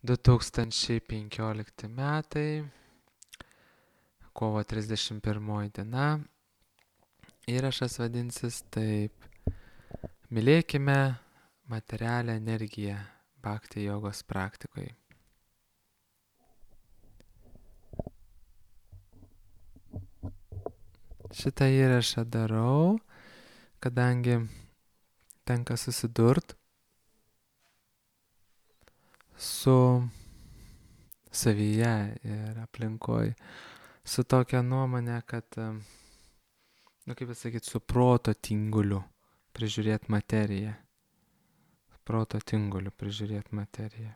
2015 metai, kovo 31 diena. Įrašas vadinsis taip: Mylėkime materialią energiją bhakti jogos praktikoje. Šitą įrašą darau, kadangi tenka susidurt su savyje ir aplinkoj, su tokia nuomonė, kad, kaip pasakyti, su proto tinguliu prižiūrėti materiją. Proto tinguliu prižiūrėti materiją.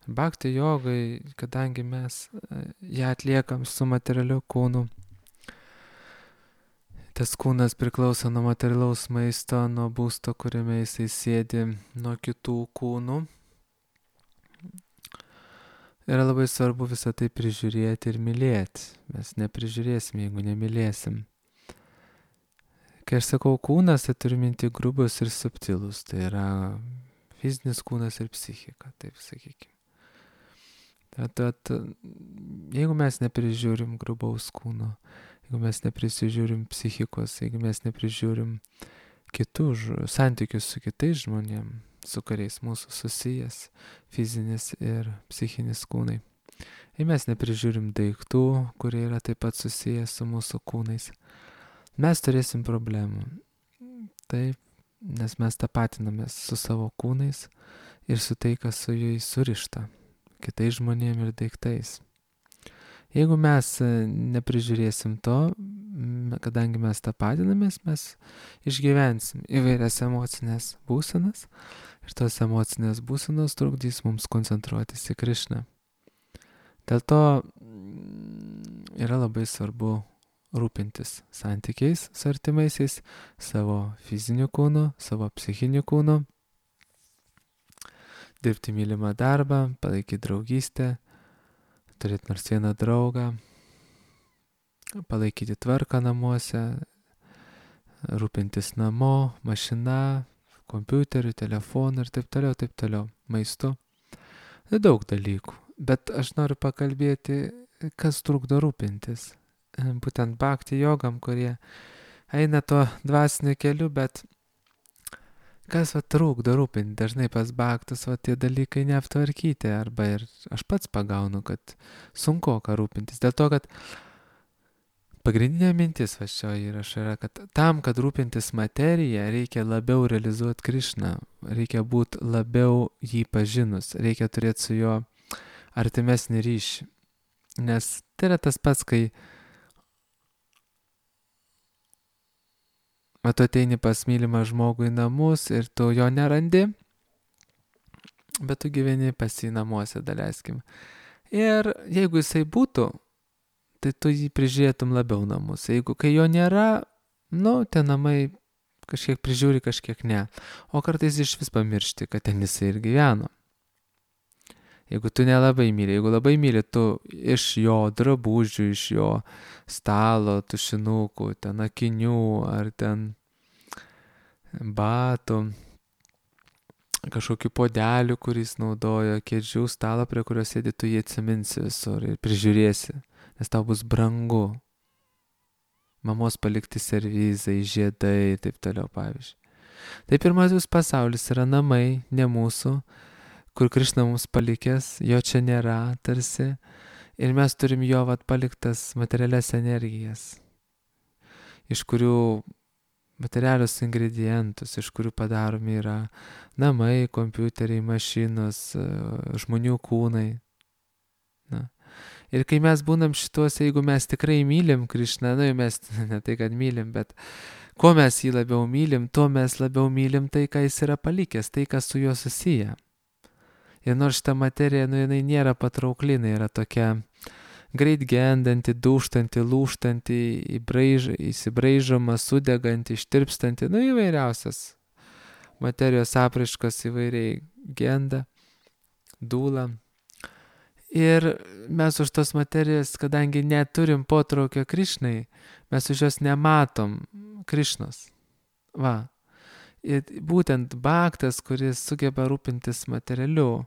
Bhakti jogai, kadangi mes ją atliekam su materialiu kūnu, tas kūnas priklauso nuo materialaus maisto, nuo būsto, kuriame jisai sėdi, nuo kitų kūnų. Yra labai svarbu visą tai prižiūrėti ir mylėti. Mes neprižiūrėsim, jeigu nemylėsim. Kai aš sakau kūnas, tai turiu minti grubus ir subtilus. Tai yra fizinis kūnas ir psichika, taip sakykime. Tad, jeigu mes neprižiūrim grubaus kūno, jeigu mes neprisižiūrim psichikos, jeigu mes neprižiūrim kitų santykius su kitais žmonėm, su kuriais mūsų susijęs fizinis ir psichinis kūnai, jei mes neprižiūrim daiktų, kurie yra taip pat susijęs su mūsų kūnais, mes turėsim problemų. Taip, nes mes tapatinamės su savo kūnais ir su tai, kas su jais surišta, kitais žmonėm ir daiktais. Jeigu mes neprižiūrėsim to, kadangi mes tapatinamės, mes išgyvensim įvairias emocinės būsenas ir tos emocinės būsenos trukdys mums koncentruotis į Krišną. Dėl to yra labai svarbu rūpintis santykiais su artimaisiais, savo fiziniu kūnu, savo psichiniu kūnu, dirbti mylimą darbą, palaikyti draugystę, turėti nors vieną draugą, palaikyti tvarką namuose, rūpintis namo, mašina, kompiuteriu, telefonu ir taip toliau, maistu. Daug dalykų, bet aš noriu pakalbėti, kas trukdo rūpintis. Būtent bhakti jogam, kurie eina tuo dvasiniu keliu, bet kas trukdo rūpinti? Dažnai pas bhaktus tie dalykai neaptvarkyti, arba ir aš pats pagaunu, kad sunku ką rūpintis. Dėl to, kad pagrindinė mintis šio įrašo yra, kad tam, kad rūpintis materiją, reikia labiau realizuoti Krišną, reikia būti labiau jį pažinus, reikia turėti su juo artimesnį ryšį. Nes tai yra tas pats, kai tu ateini pas mylimą žmogų į namus ir tu jo nerandi, bet tu gyveni pas jį namuose, daleiskim. Ir jeigu jisai būtų, tai tu jį prižiūrėtum labiau namus. Jeigu kai jo nėra, tie namai kažkiek prižiūri, kažkiek ne. O kartais iš vis pamiršti, kad ten jisai ir gyveno. Jeigu tu nelabai myli, jeigu labai myli, tu iš jo drabužių, iš jo stalo, tušinukų, ten akinių ar ten batų, kažkokių podelių, kuris naudojo, kėdžių, stalo, prie kurio sėdi, tu jį atsiminsi visur ir prižiūrėsi, nes tau bus brangu. Mamos palikti servizai, žiedai ir taip toliau, pavyzdžiui. Tai pirmasis pasaulis yra namai, ne mūsų, kur Krišna mums palikęs, jo čia nėra tarsi, ir mes turim jo paliktas materialias energijas, iš kurių materialius ingredientus, iš kurių padaromi yra namai, kompiuteriai, mašinos, žmonių kūnai. Ir kai mes būnam šituose, jeigu mes tikrai mylim Krišną, mes ne tai, kad mylim, bet kuo mes jį labiau mylim, tuo mes labiau mylim tai, ką jis yra palikęs, tai, kas su juo susiję. Ir nors šita materija, jinai nėra patraukli, jinai yra tokia greit gendanti, dūžtanti, lūžtanti, įsibraižoma, sudeganti, ištirpstanti, įvairiausias materijos apraiškos įvairiai genda, dūla. Ir mes už tos materijos, kadangi neturim potraukio Krišnai, mes už jos nematom Krišnos. Ir būtent bhaktas, kuris sugeba rūpintis materialiu,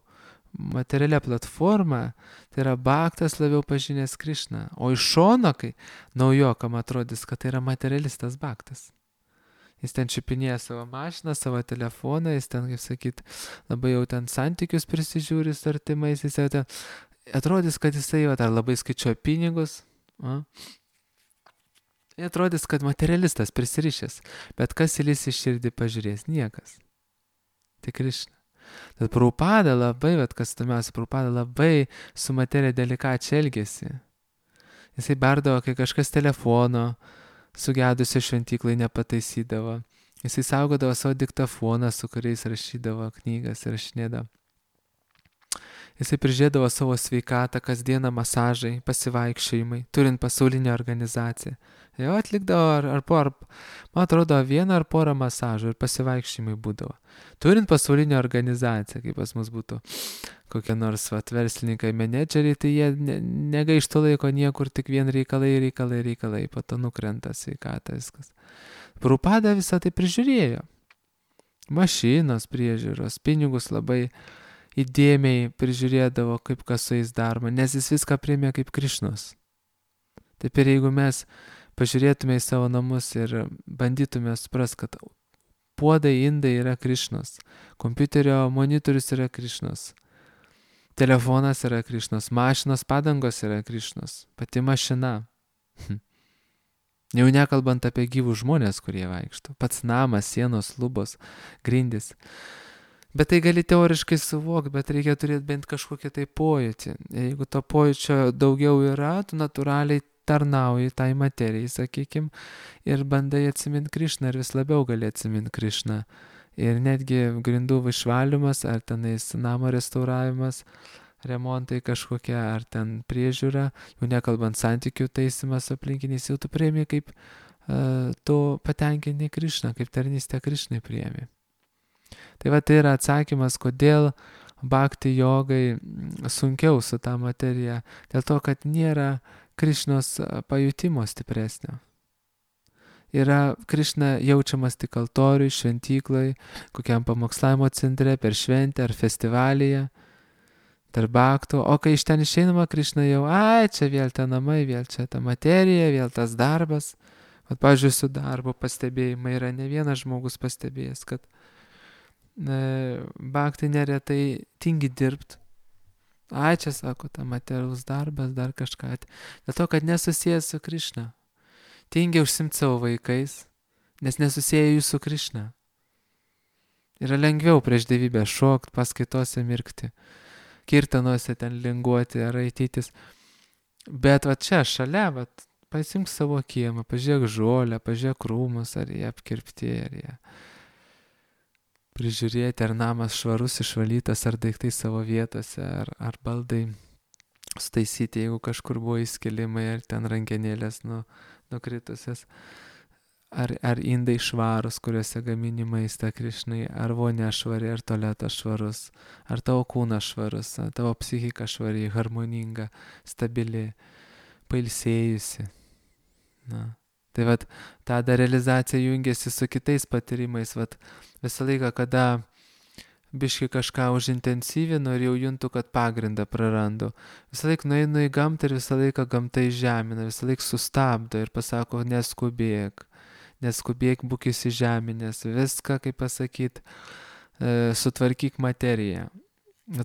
materialia platforma, tai yra bhaktas labiau pažinęs Krišną. O iš šono, kai naujokam atrodys, kad tai yra materialistas bhaktas. Jis ten čiupinėja savo mašiną, savo telefoną, jis ten, kaip sakyt, labai jau ten santykius prisižiūri su artimais, jis jau ten atrodys, kad jisai jau dar labai skaičiuoja pinigus. Atrodys, kad materialistas prisirišęs, bet kas įlys į širdį pažiūrės? Niekas. Tik Krišna. Tad Prabhupada labai, kas tumiausia, Prabhupada labai su materija delikačiai elgėsi. Jisai berdavo, kai kažkas telefono sugedusio šventyklai nepataisydavo. Jisai saugodavo savo diktafoną, su kuriais rašydavo knygas ir rašinėdavo. Jisai prižiūrėdavo savo sveikatą, kasdieną masažai, pasivaikščiojimai, turint pasaulinę organizaciją. Jo atlikdavo man atrodo, vieną ar porą masažų ir pasivaikščiojimai būdavo. Turint pasaulinę organizaciją, kaip pas mus būtų kokie nors verslininkai, menedžeriai, tai jie negaištų laiko niekur, tik vien reikalai, po to nukrenta sveikata viskas. Prabhupada visą tai prižiūrėjo. Mašinos priežiūros, pinigus labai įdėmiai prižiūrėdavo, kaip kas su jais daroma, nes jis viską priėmė kaip Krišnos. Taip ir jeigu mes pažiūrėtume į savo namus ir bandytume supras, kad puodai, indai yra Krišnos, kompiuterio monitorius yra Krišnos, telefonas yra Krišnos, mašinos padangos yra Krišnos, pati mašina. Jau nekalbant apie gyvus žmonės, kurie vaikšto, pats namas, sienos, lubos, grindys. Bet tai gali teoriškai suvokti, bet reikia turėti bent kažkokią tai pojūtį. Jeigu to pojūčio daugiau yra, tu natūraliai tarnauji tai materijai, sakykim, ir bandai atsiminti Krišną ir vis labiau gali atsiminti Krišną. Ir netgi grindų išvalymas, ar tenais namo restauravimas, remontai kažkokie, ar ten priežiūra, jau nekalbant santykių taisymas aplinkiniais, jau tu priemi kaip tu patenkinti Krišną, kaip tarnystę Krišnai priemi. Tai va tai yra atsakymas, kodėl bhakti jogai sunkiau su ta materija, dėl to, kad nėra Krišnos pajutimo stipresnio. Yra Krišna jaučiamas tik altoriui, šventyklai, kokiam pamokslavimo centre, per šventę ar festivalyje, tarp bhaktų, o kai iš ten išeinama Krišna jau, čia vėl ta namai, vėl čia ta materija, vėl tas darbas. Vat, pavyzdžiui, su darbo pastebėjimai yra ne vienas žmogus pastebėjęs, kad bhaktai neretai tingi dirbti. Čia sako, ta materialus darbas, dar kažką. Dėl to, kad nesusijęs su Krišna. Tingi užsimti savo vaikais, nes nesusiję jų su Krišna. Yra lengviau prieš dievybę šokti, paskaitose mirkti, kirtanuose ten linguoti ar raitytis. Bet va čia šalia, pasimk savo kiemą, pažiūrėk žolę, pažiūrėk krūmus, ar jie apkirpti, ar jie prižiūrėti, ar namas švarus, išvalytas, ar daiktai savo vietose, ar baldai sutaisyti, jeigu kažkur buvo įskilimai, ar ten rankenėlės nukritusios, ar indai švarus, kuriuose gamini maistą Krišnai, ar vonia švari, ar tualetas švarus, ar tavo kūnas švarus, ar tavo psichika švari, harmoninga, stabili, pailsėjusi. Tai vat, ta realizacija jungiasi su kitais patyrimais, vat, visą laiką, kada biški kažką užintensyvinu ir jau juntu, kad pagrindą prarandu. Visą laiką nueinu į gamtą ir visą laiką gamta įžemina, visą laiką sustabdo ir pasako, neskubėk, būk įsižeminęs, viską, kaip pasakyt, sutvarkyk materiją.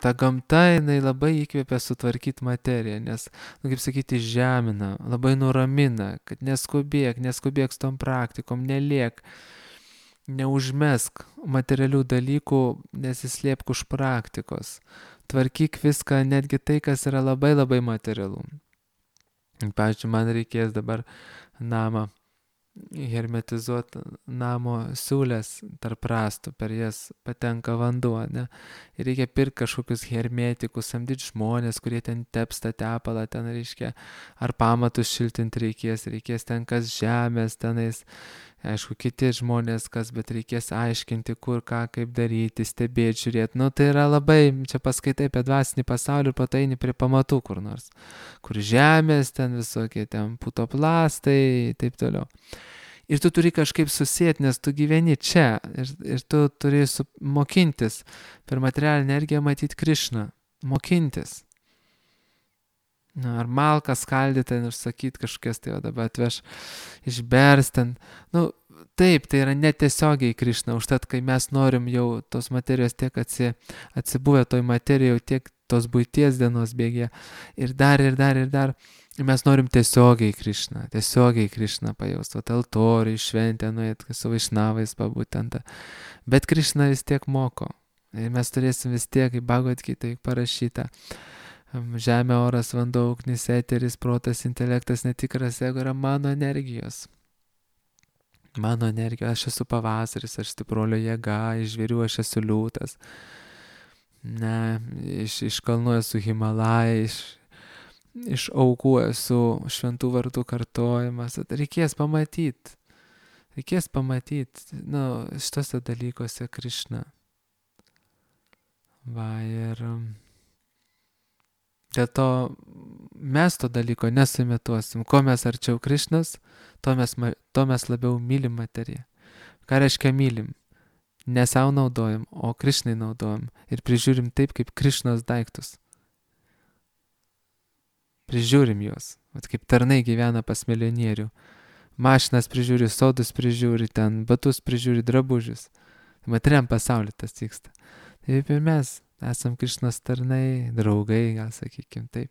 Ta gamta, jinai labai įkvėpia sutvarkyti materiją, nes, kaip sakyti, žemina, labai nuramina, kad neskubėk su tom praktikom, neliek, neužmesk materialių dalykų, nesislėpk už praktikos. Tvarkyk viską, netgi tai, kas yra labai labai materialu. Pavyzdžiui, man reikės dabar namą hermetizuoti, namo siūlės tarp rąstų, per jas patenka vanduo, ne? Ir reikia pirkti kažkokius hermetikus, samdyti žmonės, kurie ten tepsta tepalą, ten reiškia, ar pamatus šiltinti reikės ten kas žemės, tenais, aišku, kiti žmonės kas, bet reikės aiškinti, kur, ką, kaip daryti, stebėti, žiūrėti. Tai yra labai, čia paskaitai apie dvasinį pasaulį ir pataini prie pamatų kur nors, kur žemės, ten visokie, ten putoplastai, taip toliau. Ir tu turi kažkaip susėti, nes tu gyveni čia ir tu turi mokintis per materialinę energiją matyti Krišną. mokintis. Ar malką skaldyti ir sakyti kažkokias, tai o dabar atveš išbers ten. Taip, tai yra netiesiogiai Krišna, užtat, kai mes norim jau tos materijos tiek atsibuvę toj materijai, jau tiek tos buities dienos bėgė ir dar, mes norim tiesiogiai Krišna pajausti, o altoriui, šventę nuėt, su vaišnavais pabūtent. Bet Krišna vis tiek moko. Ir mes turėsim vis tiek, kaip Bhagavad Gita parašyta, žemė, oras, vanduo, ugnis, eteris, protas, intelektas, netikras ego yra mano energijos. Mano energija, aš esu pavasaris, aš stiprolio jėga, iš žvėrių aš esu liūtas. Iš kalnų esu Himalaya, iš aukų esu šventų vardų kartojimas. Reikės pamatyti. Šitose dalykose Krišna. Ir dėl to mes to dalyko nesumetuosim. Ko mes arčiau Krišnos, to mes labiau mylim materiją. Ką reiškia mylim? Ne savo naudojam, o Krišnai naudojam. Ir prižiūrim taip, kaip Krišnos daiktus. Prižiūrim juos. Kaip tarnai gyvena pas milijonierių. Mašinas prižiūri, sodus prižiūri, ten batus prižiūri, drabužius. Materiam pasaulyje tas vyksta. Taip ir mes esam Krišnos tarnai, draugai, gal sakykim taip,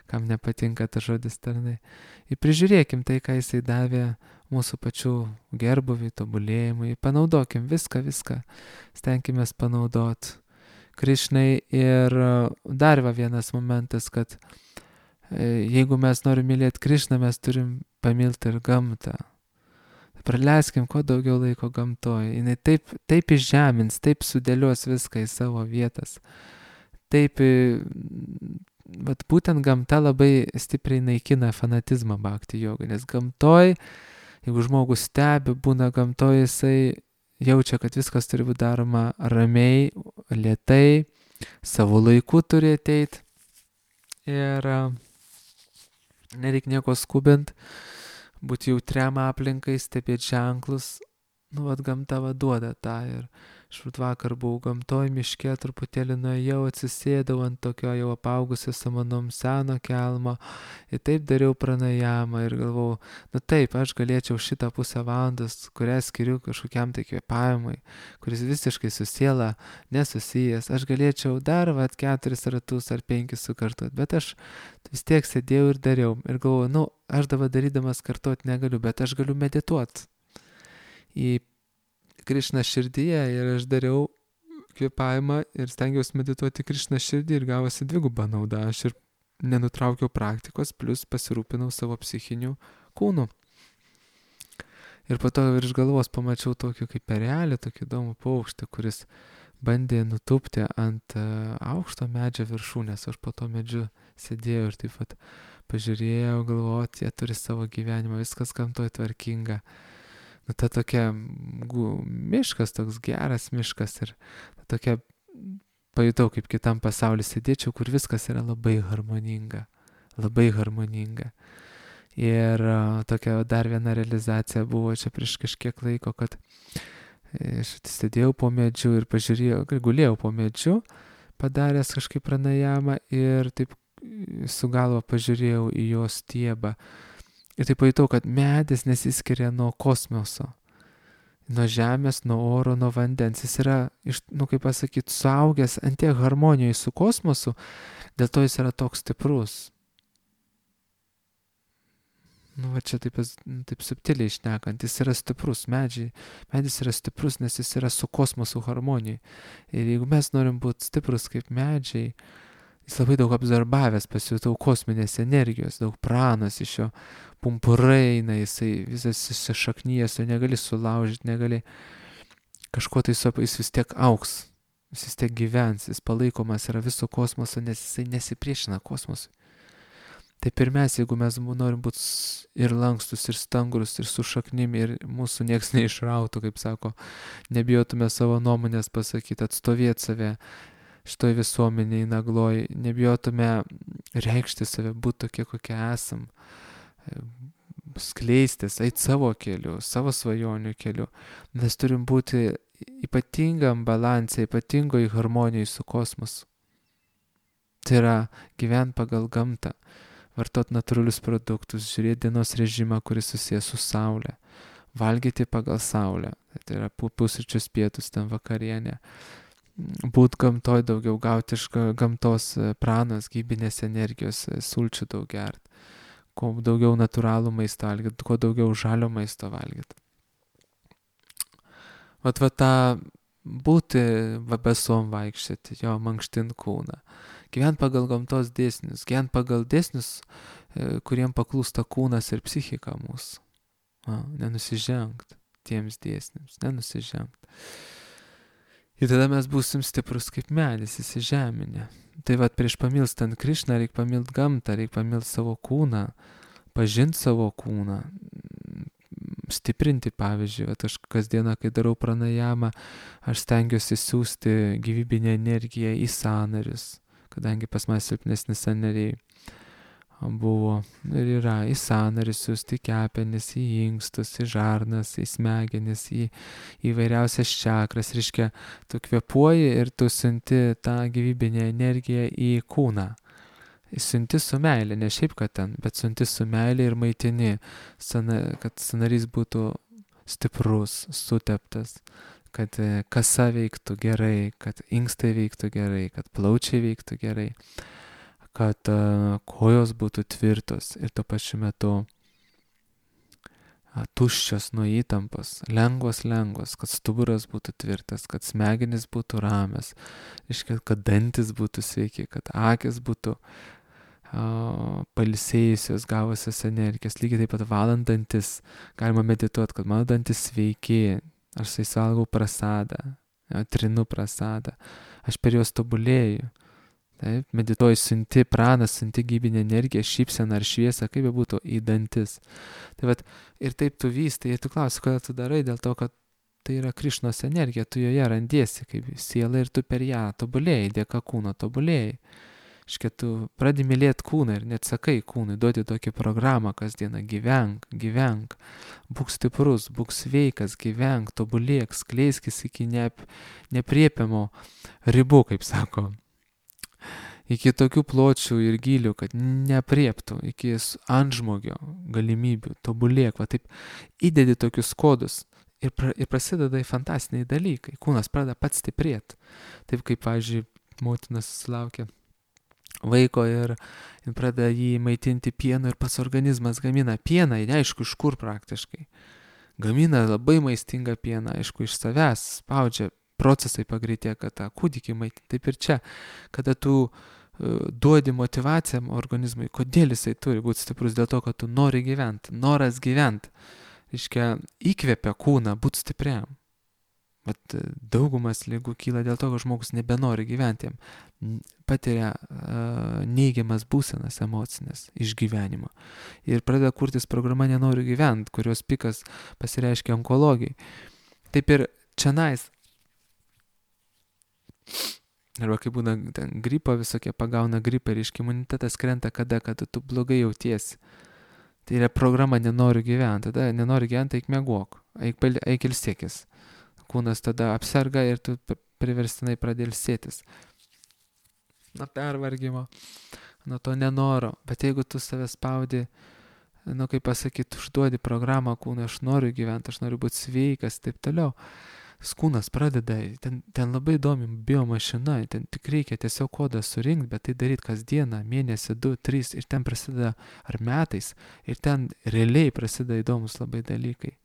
kam nepatinka tas žodis tarnai. Ir prižiūrėkim tai, ką jisai davė mūsų pačių gerbuvį, tobulėjimui, panaudokim viską, stenkimės panaudot Krišnai. Ir dar vienas momentas, kad jeigu mes norim mylėti Krišną, mes turim pamilti ir gamtą. Praleiskim kuo daugiau laiko gamtoje. Jis taip išžemins, taip sudėlios viską į savo vietas. Taip, būtent gamta labai stipriai naikina fanatizmą bhakti jogai, nes gamtoje, jeigu žmogus stebi, būna gamtoje, jisai jaučia, kad viskas turi būti daroma ramiai, lėtai, savo laiku turi ateiti ir nereikia nieko skubint. Būti jautriam aplinkai, stebėti ženklus, gamta duoda tą. Ir aš vakar buvau gamtoj, miške, truputėlį nuėjau, atsisėdau ant tokio jau apaugusio samanom seno kelmo ir taip dariau pranajamą ir galvojau, taip, aš galėčiau šitą pusę valandos, kurią skiriu kažkokiam tai kvėpavimui, kuris visiškai su siela nesusijęs, aš galėčiau dar 4 ratus ar 5 sukartot, bet aš vis tiek sėdėjau ir dariau ir galvojau, aš dabar darydamas kartot negaliu, bet aš galiu medituoti į Krišną širdyje ir aš dariau kvėpavimą ir stengiausi medituoti Krišną širdį ir gavosi dviguba nauda. Aš ir nenutraukiau praktikos, plus pasirūpinau savo psichiniu kūnu. Ir po to virš galvos pamačiau tokį kaip erelį, tokį įdomų paukštį, kuris bandė nutūpti ant aukšto medžio viršūnės. Aš po to medžiu sėdėjau ir taip pat pažiūrėjau, galvojau, jie turi savo gyvenimą, viskas gamtoj tvarkinga. Ta tokia miškas, toks geras miškas ir tokia pajutau, kaip kitam pasauliu sėdėčiau, kur viskas yra labai harmoninga. Ir tokia dar viena realizacija buvo čia prieš kažkiek laiko, kad aš sėdėjau po medžiu ir pažiūrėjau, gulėjau po medžiu, padaręs kažkaip pranajamą ir taip su galva pažiūrėjau į jo stiebą. Ir taip pajutau, kad medis nesiskiria nuo kosmoso, nuo žemės, nuo oro, nuo vandens. Jis yra, kaip pasakyti, suaugęs ant tiek harmonijoje su kosmosu, dėl to jis yra toks stiprus. Čia taip subtiliai šnekant, jis yra stiprus, medis yra stiprus, nes jis yra su kosmosu harmonijai. Ir jeigu mes norim būti stiprus kaip medžiai, jis labai daug absorbavęs, pasijutau kosminės energijos, daug pranos iš jo pumpurai eina, jisai visas įsišaknyjęs, jo negali sulaužyti, negali kažko tai jis vis tiek augs, jis vis tiek gyvens, jis palaikomas yra viso kosmoso, nes jisai nesipriešina kosmosui. Taip ir mes, jeigu mes norim būti ir lankstus, ir stangrus, ir su šaknim, ir mūsų nieks neišrautų, kaip sako, nebijotume savo nuomonės pasakyti, atstovėti save šitoj visuomeniai nagloj, nebijotume reikšti save, būti tokie, kokie esam, skleistis, eiti savo keliu, savo svajonių keliu. Mes turim būti ypatingam balansai, ypatingoj harmonijai su kosmosu. Tai yra gyventi pagal gamtą, vartot natūralius produktus, žiūrėti dienos režimą, kuris susijęs su saulė, valgyti pagal saulę, tai yra pusryčius, pietus, ten vakarienė, būt gamtoj daugiau, gauti iš gamtos pranos, gyvybinės energijos, sulčių daug gert, kuo daugiau natūralų maisto valgyt, kuo daugiau žalio maisto valgyt. Va tą būti vabesom vaikščioti, jo mankštint kūną, gyvent pagal gamtos dėsnius, gyvent pagal dėsnius, kuriem paklūsta kūnas ir psichika mūsų. Nenusižengt tiems dėsniams, nenusižengt. Ir tada mes būsim stiprus kaip medis, įsižeminę. Tai va, prieš pamilstant Krišną reikia pamilt gamtą, reikia pamilt savo kūną, pažinti savo kūną, stiprinti, pavyzdžiui, aš kasdieną, kai darau pranajamą, aš stengiuosi siūsti gyvybinę energiją į sąnarius, kadangi pas mane silpnesni sąnariai buvo ir yra, į sąnarius siūsti, kepenis, į inkstus, į žarnas, į smegenis, į įvairiausias čakras. Reiškia, tu kvėpuoji ir tu siunti tą gyvybinę energiją į kūną. Siunti su meilė, ne šiaip kad ten, bet siunti su meilė ir maitini, kad sąnarys būtų stiprus, suteptas, kad kasa veiktų gerai, kad inkstai veiktų gerai, kad plaučiai veiktų gerai, kad kojos būtų tvirtos ir tuo pačiu metu tuščios nuo įtampos, lengvos, kad stuburas būtų tvirtas, kad smegenys būtų ramios, kad dantis būtų sveiki, kad akis būtų pailsėjusios, gavusios energijos. Lygiai taip pat valant dantis, galima medituoti, kad mano dantis sveiki, aš su jais valgau prasadą, trinu prasadą, aš per juos tobulėju. Taip, medituoji, siunti praną, siunti gyvybinę energiją, šypseną ar šviesą, kaip be būtų, į dantis. Tai vat, ir taip tu vystai, ir tu klausi, kodėl tu darai, dėl to, kad tai yra Krišnos energija, tu joje randiesi kaip siela ir tu per ją tobulėjai, dėka kūno tobulėjai. Iškia, tu pradedi mylėti kūną ir net sakai kūnui, duoti tokį programą kasdieną, gyvenk, būk stiprus, būk sveikas, gyvenk, tobulėk, skleiskis iki nepriepiamo ribų, kaip sako. Iki tokių pločių ir gylių, kad neprieptų, iki antžmogio galimybių, tobulėk, va taip įdedi tokius kodus ir prasideda fantastiniai dalykai, kūnas pradeda pats stiprėti. Taip kaip, pavyzdžiui, motina susilaukia vaiko ir pradeda jį maitinti pienu ir pats organizmas gamina pieną, neaišku iš kur praktiškai. Gamina labai maistingą pieną, aišku, iš savęs, spaudžia, procesai pagreitėja, kad tą kūdikį maitinti. Taip ir čia, kada tu duodi motivaciją organizmui, kodėl jisai turi būti stiprus, dėl to, kad tu nori gyventi, noras gyventi, reiškia, įkvepia kūną būti stipriam. Bet daugumas ligų kyla dėl to, kad žmogus nebenori gyventi, patiria neigiamas būsenas emocinės iš gyvenimo. Ir pradeda kurtis programa nenoriu gyventi, kurios pikas pasireiškia onkologijai. Taip ir čionais, arba kai būna gripo visokie, pagauna gripą ir imunitetas krenta kada tu blogai jautiesi. Tai yra programa nenoriu gyventi, tada nenori gyventi, eik miegok, eik ilsėkis. Kūnas tada apserga ir tu priverstinai pradedi ilsėtis. Nuo pervargimo, nuo to nenoro. Bet jeigu tu save spaudi, kaip pasakyti, užduodi programą kūnui, aš noriu gyventi, aš noriu būti sveikas, taip toliau. Kūnas pradeda, ten labai įdomi biomašina, ten tik reikia tiesiog kodą surinkti, bet tai daryti kasdieną, mėnesį, 2, 3 ir ten prasideda, ar metais, ir ten realiai prasideda įdomus labai dalykai.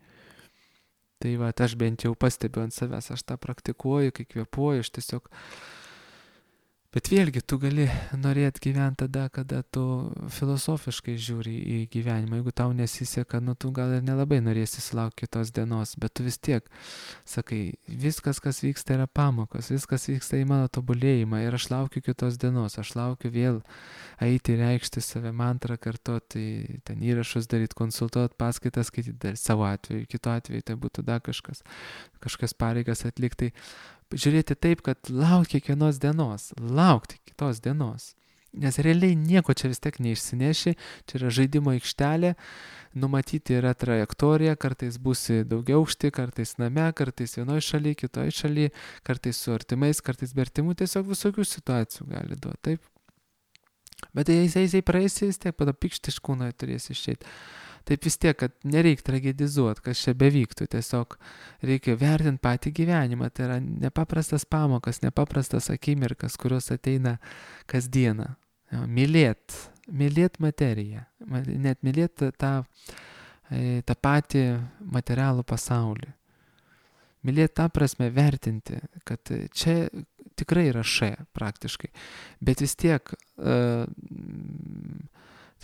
Tai va, aš bent jau pastebiu ant savęs, aš tą praktikuoju, kai kvėpuoju, aš tiesiog... Bet vėlgi, tu gali norėti gyventi tada, kada tu filosofiškai žiūri į gyvenimą. Jeigu tau nesiseka, tu gal ir nelabai norėsi sulaukti kitos dienos, bet tu vis tiek sakai, viskas, kas vyksta, yra pamokos, viskas vyksta į mano tobulėjimą ir aš laukiu kitos dienos, aš laukiu vėl eiti, reikšti save, mantrą kartoti, ten įrašus daryti, konsultuoti, paskaitas skaityti, dar savo atveju, kito atveju tai būtų dar kažkas pareigas atlikti. Žiūrėti taip, kad laukti kiekvienos dienos, laukti kitos dienos. Nes realiai nieko čia vis tiek neišsineši, čia yra žaidimo aikštelė, numatyti yra trajektorija, kartais būsi daugiau aukšti, kartais name, kartais vienoje šalyje, kitoje šalyje, kartais su artimais, kartais be artimų, tiesiog visokių situacijų gali duoti, taip. Bet jisai praeis, vis tiek pada pikšti iš kūno turės išeiti. Taip vis tiek, kad nereikia tragedizuoti, kas čia bevyktų, tiesiog reikia vertinti patį gyvenimą. Tai yra nepaprastas pamokas, nepaprastas akimirkas, kurios ateina kasdieną. Mylėt materiją, net mylėt tą patį materialų pasaulį. Mylėt tą prasme vertinti, kad čia tikrai yra praktiškai, bet vis tiek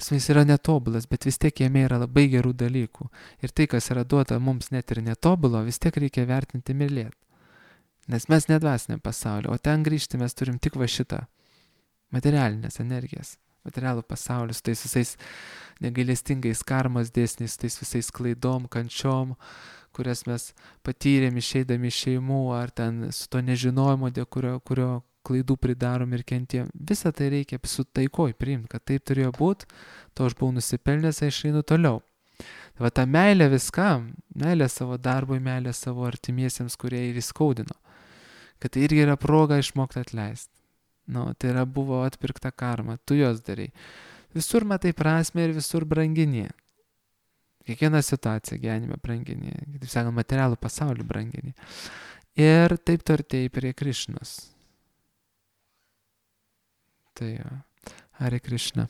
jis yra netobulas, bet vis tiek jame yra labai gerų dalykų. Ir tai, kas yra duota mums net ir netobulo, vis tiek reikia vertinti mylėti. Nes mes nedvasiniam pasaulio, o ten grįžti mes turim tik va šitą materialinės energijas, materialų pasaulį, su tais visais negailestingais karmos dėsniais, tais visais klaidom, kančiom, kurias mes patyrėm išeidami iš šeimų, ar ten su to nežinojimu, dėl kurio klaidų pridarom ir kentiem. Visą tai reikia su taikoj priimti, kad taip turėjo būti, to aš buvau nusipelnęs, aš einu toliau. Va ta meilė viskam, meilė savo darbui, meilė savo artimiesiems, kurie ir įskaudino, kad tai irgi yra proga išmokti atleisti. Tai yra buvo atpirkta karma, tu jos darai. Visur matai prasme ir visur brangini. Kiekvieną situaciją gyvenime brangini, taip sakant, materialų pasaulį brangini. Ir taip tu artėji prie Krišnos. Tai Hare Krishna.